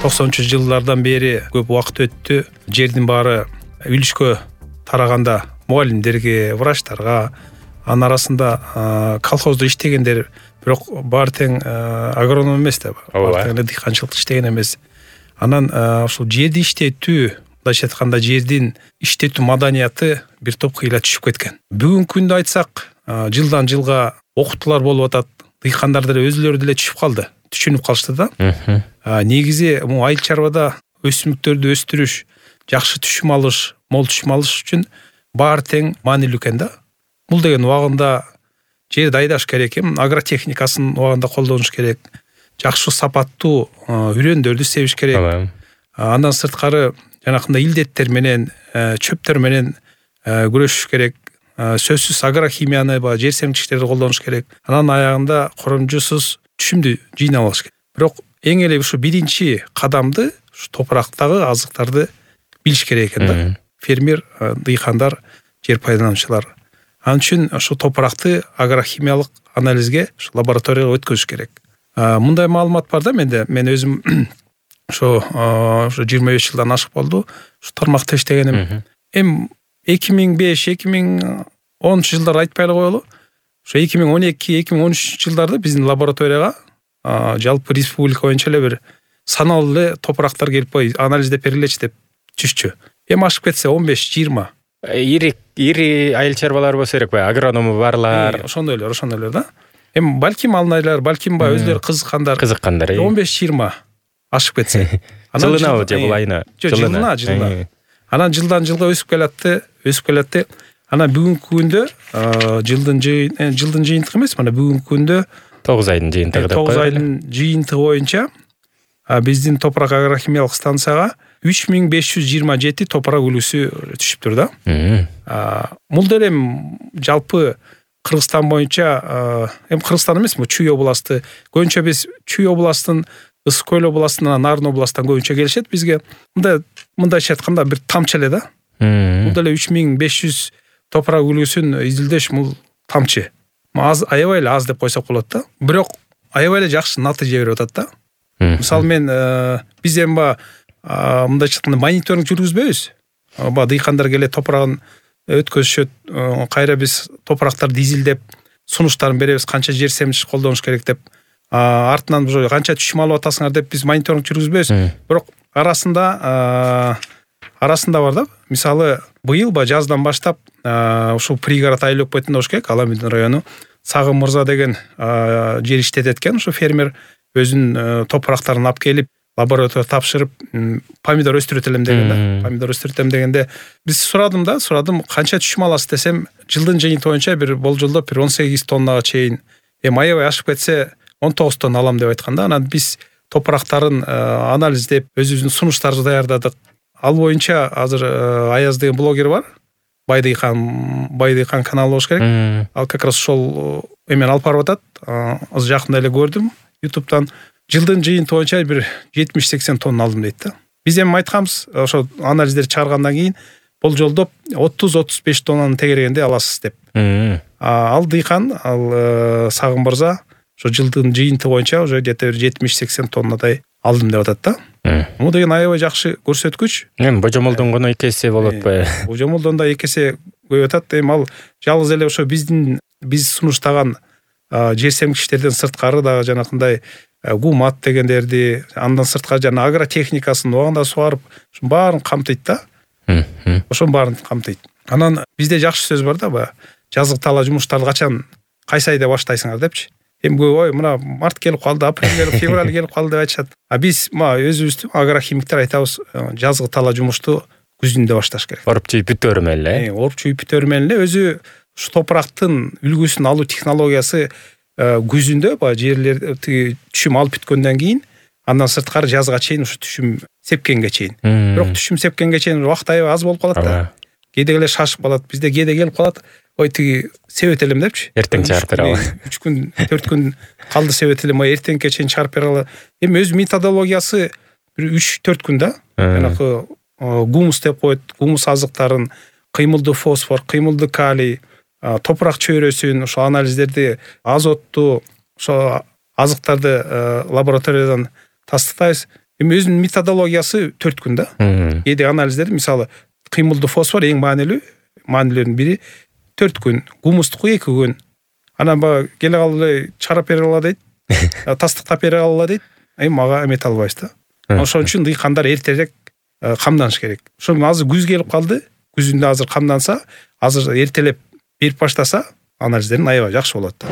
90-жылдардан бери көп убакыт өттү. Жердин баары үлүшкө тараганда мугалимдерге, врачтарга, анын арасында колхоздо иштегендер, бирок баары тең агроном эмес да. Баары тең дыйканчылыкта иштеген эмес. Анан ушул жерди иштетүү, мындайча айтканда жердин иштетүү маданияты бир топ кыйла түшүп кеткен. Бүгүнкү күндө айтсак, жылдан жылга окутуулар болуп атат. Дыйкандар деле өзүлөрү деле түшүнүп калышты да. Негизи бул айыл чарбада өсүмдүктөрдү өстүрүш, жакшы түшүм алыш, мол түшүм алыш үчүн баары тең маанилүү экен да. Бул деген убагында жерди айдаш керек, агротехникасын убагында колдонуш керек, жакшы сапаттуу үрөндөрдү себиш керек. Андан сырткары жанакындай илдеттер менен, чөптөр менен күрөшүш керек. Сөзсүз агрохимияны, жер семчиктерди колдонуш керек. Анан аягында коромжусуз түшүмдү жыйнап алыш керек. Бирок эң эле ушу биринчи кадамды ушу топурактагы азыктарды билиш керек экен да. Фермер, дыйкандар, жер пайдалануучулар. Анын үчүн ушу топуракты агрохимиялык анализге ушу лабораторияга өткөзүш керек. Мындай маалымат бар да менде. Мен өзүм ошо 25 жылдан ашык болду. Ушу тармакта иштегеним. 2005-2010 жылдар айтпай эле коелу. Ошо 2012-2013 жылдарда биздин лабораторияга жалпы республика боюнча эле бир саналуу эле топурактар келип анализдеп бергилечи деп түшчү. Ашып кетсе 15-20. Ири айыл чарбалар болсо керек, агроному барлар. Ошондойлор да. Балким алнайлар, балким өзлөрү кызыккандар. 15-20 ашып кетсе. Жылына же бул айына? Жылына. Анан жылдан жылга өсүп келатты. Анан бүгүнкү күндө жылдын жыйынтыгы эмес, мына бүгүнкү күндө 9 айдын жыйынтыгы деп коелу. 9 айдын жыйынтыгы боюнча биздин топурак агрохимиялык станцияга 3527 топурак үлгүсү түшүптүр да. Бул деле жалпы Кыргызстан боюнча, Кыргызстан эмес, Чүй областы. Көбүнчө биз Чүй областын, Ысык Көл областынан, Нарын областынан көбүнчө келишет бизге. Мындайча айтканда бир тамчы эле да. Бул деле 3500 топурак үлгүсүн изилдеш, бул тамчы. Аябай эле аз деп койсок болот да. Бирок аябай эле жакшы натыйжа берип атат да. Мисалы мен биз мындайча айтканда мониторинг жүргүзбөйбүз. Дыйкандар келет, топурагын өткөзүшөт, кайра биз топурактарды изилдеп, сунуштарын беребиз, канча жер семчиш колдонуш керек деп, артынан канча түшүм алып атасыңар деп биз мониторинг жүргүзбөйбүз. Бирок арасында бар да. Мисалы, быйыл жаздан баштап ушул пригород айлап кеткен болуш керек, Аламедин району. Сагым Мырза деген жер иштетет экен, ушу фермер өзүнүн топурактарын алып келип, лабораторияга тапшырып, помидор өстүрөт элем деген да. Помидор өстүрөт элем дегенде биз сурадым, канча түшүм аласыз десем, жылдын жыйынтыгы боюнча бир болжолдоп 18 тоннага чейин, аябай ашып кетсе 19 тонна алам деп айтканда, анан биз топурактарын анализдеп, өзүбүздүн сунуштарды даярдадык. Ал боюнча азыр Аяз деген блогер бар. Байдыйкан каналы болуш керек. Ал как раз ошол эмен алып барып атат. Азыр жакында эле көрдүм YouTube'дан. Жылдын жыйынтыгы боюнча бир 70-80 тонна алдым дейт да. Биз айтканбыз, ошо анализдерди чыгаргандан кийин болжолдоп 30-35 тоннаны тегергенде аласыз деп. Ал дыйкан, ал Сагым Мырза ошо жылдын жыйынтыгы боюнча уже где-то 70-80 тоннадай алдым деп атат да. Бул деген аябай жакшы көрсөткүч. Божомолдонгону 2 эсе болот ба? Божомолдондо 2 эсе көбөйүп атат. Ал жалгыз эле ошо биз сунуштаган жер семчиштерден сырткары дагы жанакындай гумат дегендерди, андан сырткары жана агротехникасын убагында сугарып, ошонун баарын камтыйт да. Ошонун баарын камтыйт. Анан бизде жакшы сөз бар да, жазгы тала жумуштарды качан, кайсы айда баштайсыңар депчи. Ой, мына март келип калды, апрель келип, февраль келип калды деп айтышат. Биз өзүбүз агрохимиктер айтабыз, жазгы тала жумушту күзүндө башташ керек. Оруп чүйүп бүтөөрү менен эле. Оруп чүйүп бүтөөрү менен эле өзү ушу топурактын үлгүсүн алуу технологиясы күзүндө жерлерди түшүм алып бүткөндөн кийин, андан сырткары жазга чейин ушу түшүм сепкенге чейин. Бирок түшүм сепкенге чейин убакыт аябай аз болуп калат да. Кээде эле шашып калат. Бизде кээде келип калат, ой тиги себет элем депчи. Эртең чыгарып бере алам. 3 күн, 4 күн калды себет элем, эртеңке чейин чыгарып бере алам. Өз методологиясы бир 3-4 күн да. Жанагы гумус деп коет, гумус азыктарын, кыймылдуу фосфор, кыймылдуу калий, топурак чөйрөсүн, ошо анализдерди, азотту, ошо азыктарды лабораториядан тастыктайбыз. Эми өзүнүн методологиясы 4 күн да. Кээде анализдер мисалы кыймылдуу фосфор эң маанилүүнүн бири 4 күн, гумустуку 2 күн. Анан баягы келе калып чыгарып бере алат дейт. Тастыктап бере алат дейт. Эми мага эмете албайбыз да. Ошон үчүн дыйкандар эртерээк камданыш керек. Ошо азыр күз келип калды. Күзүндө азыр камданса, азыр эртелеп берип баштаса, анализдерин аябай жакшы болот.